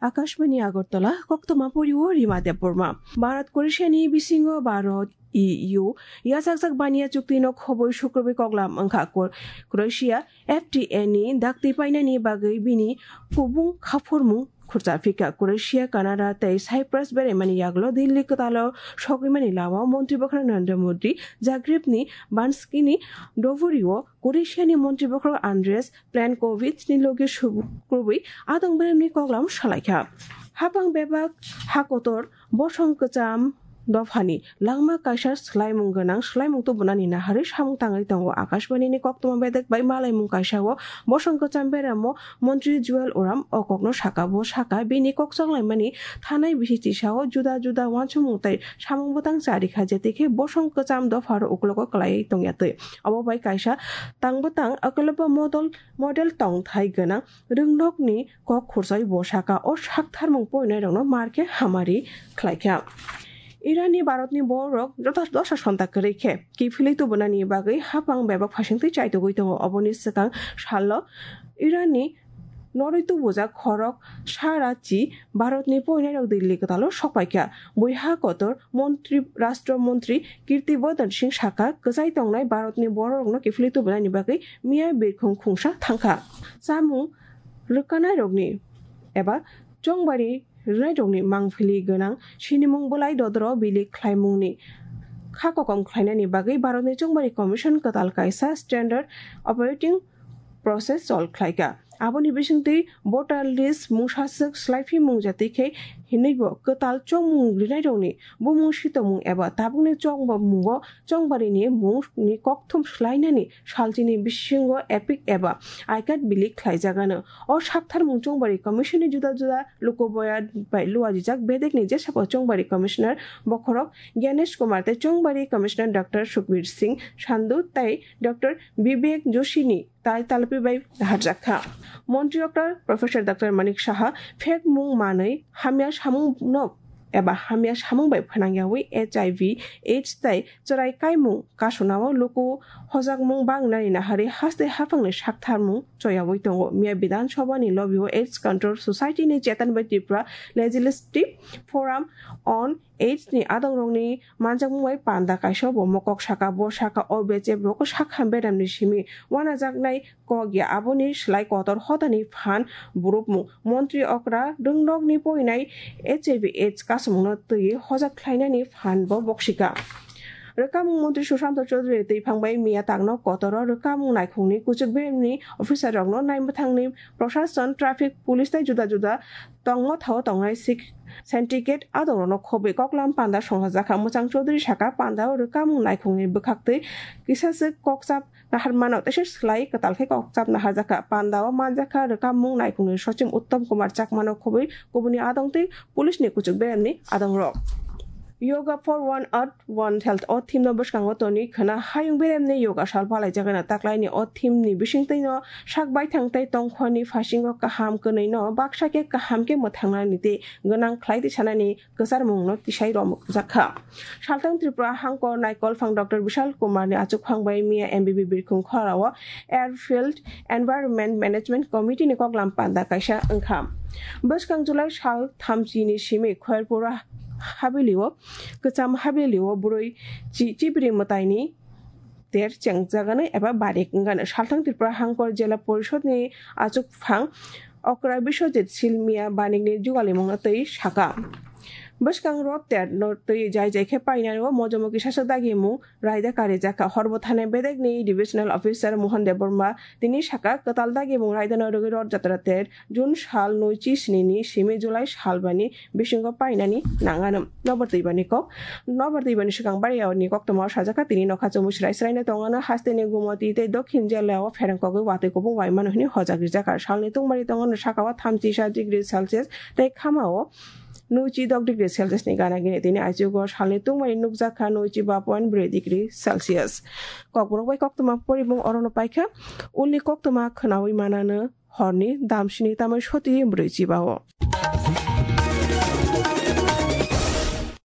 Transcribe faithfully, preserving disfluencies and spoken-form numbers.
Akashbani Agartala, koktoma pori o Rima Debbarma. Bharat Croatia ni bisingo Bharat E U yachakjak baniya chukti no khoboi sukrubui koklam wngkha. Kro-, Croatia F T A ni dakti painani bagwi bini kubung khaphurmung khurcha phika. Croatia, Canada tei Cyprus beraimani yagulo Delhi kwtalo sogwimani lama o Montri Bwkhwrang Narendra Modi Zagreb ni Banski ni Dvori o Croatia ni Montri Bwkhwrang Andrej Plenkovic ni logi sukrubui adong beremni koklam salaikha. Hapang bebak ha kotor bosong kwcham dophani langma kaisa swlaimung gwnang swlaimung tubunani naharwi samung tangwi tongo. Akashbani ni koktwma bedek bai malaimung kaisa o bosong kwcham beramo Montri Juel Oram o kokno saka. Bo saka, bini kok chonglaimani thanai bisi tisao juda juda uansukmung tei samung bwtang charikha, jetikhe bosong kwcham dopharo uklogo kwlaiwi tongya twi. Obo bai kaisa tang bwtang akolbo model, model tongthai gwnang rwngnokni kok khurchai bo saka o saktharmung poinairokno markhe hamari khlaikha. Iranni Bharatni bororok jota dosa sonta kwrwi khe kiphilwi tubunani bagwi hapang bebak phaisingtwi chaitugwi tongo. Oboni swkang salo Iranni norwi tubujak khorok sarachi Bharatni poinairok Delhi kwtalo sokpaikha. Buiha kotor Montri, Rashtra Montri Kirti Vardhan Singh saka, kwchai tongnai Bharatni bororokno kiphilwi tubunani bagwi miya birkhung khungsa thangkha. Chamung rwkanairokni eba chongbari rwnairokni mangphili gwnang sinimung bwlai dodoro bilik khlaimungni kha kokom khlainani bagwi Bharatni Chongbari Commission kwtal kaisa Standard Operating Process chol khlaikha. Aboni bisingtwi voter list mungsaswk swlaiphimung jatwi khe hinwibo kwtal chongmung rwnairokni bumung sitongmung eba tabukni chongmungo chongbarini mungni kokthum swlainani salchini bisingo EPIC eba I card bilik khlaijagano. O saktharmung Chongbari Commission ni juda juda lukuboya bai luajijak bedekni jesabo Chongbari Commissioner bokhorok Gyanesh Kumar tei Chongbari Commissioner Doctor Sukhbir Singh Sandhu tei Doctor Bibek Joshi ni tai talpi bai naharjakha. Montri okra Professor Doctor Manik Saha phek mung manwi hamya samung no eba hamya samung bai phnangyawi H I V AIDS tei chwrai kaimung kasunao luku hojakmung bangnani naharwi haste haphangni saktharmung choyawi tongo. Miya Bidhan Sabha ni lobby o AIDS Control Society ni Chetan bai Tripura Legislative Forum on AIDS ni adongrokni manjakmung bai panda kaisa bo mokok saka. Bo saka o bechep rok sakham beramni simi wanajaknai kok ya, aboni slai kotor hodani phan burupmung. Montri okra rwngnokni poinai H I V AIDS kasumungno twi hojak khlainani phan bo boksika. Rwkamung Montri Sushanta Chowdhury twi phangbai miya tangno kotoro rwkamung naikhungni kuchuk beremni officer rokno naimwthangni Prashasan, Traffic, Police tei juda juda tongmo thao tongnai sik-, syndicate adongrokno khobwi koklam panda songchajakha. Mwchang Chowdhury saka, pandao rwkamung naikhungni bwkhaktwi kisaswk kokchap naharmano teisa slai kwtal khe kokchap naharjakha. Pandao manjakha rwkamung naikhungni sochim Uttam Kumar Chakmano khobwi kubuni adongtwi police ni kuchuk beremni adongrok. Yoga for One Earth, One Health o theme no bwskango tonwi khwna hayung beremni yoga sal palaijagano. Taklaini o theme ni bisingtwino sak baithang tei tongkhorni phasingo kaham kwnwino baksa khe kaham khe mwthangnani tei gwnang khlai twi sanani kwcharmungno tisai romjakha. Salthang Tripura hangkor naikolphang Doctor Bishal Kumar ni achukphang bai miya M B B birkhung khorao Airfield Environment Management Committee ni koklam panda kaisa wngkha. Bwskang July sal thamchi ni simi Khairpura habili o, kwcham habili o bwrwi chi-, chibri mwtaini ter chengjagano eba barik wngano. Salthang Tripura hangkor Jela Porishod ni achukphang okra Biswajit Sil miya banikni jugalimungno twi saka. Bwskang rot ter no twi jai jai khe painani o mojomoki saswk dagimung raida karijakha. Horbo thani bedekni Divisional Officer Mohan Debbarma tini saka kwtal dagimung raidano rwgwi Rot Jatra ter June sal nui chi sni ni simi July sal bani bisingo painani nangano. Nobar twibani kok. Nobar twibani swkang bari yaoni koktwma o sajakha, tini nokha chumui srai srai no tongano, hasteni gumoti tei dokhin jela o pherang kogwi watwi kubung waimano hwnwi hojak rijak. Salni tungmari tongano sakao thamchi sa degree Celsius tei khamao nui chi dok degree Celsius ni gana gini. Tini aichugo salni tungmari nukjakha nui chi ba point brwi degree Celsius. Kokborok bai koktwma porimung orono paikha. Ulni koktwma khwnawi manano horni damsini tamai soti brwi chibao.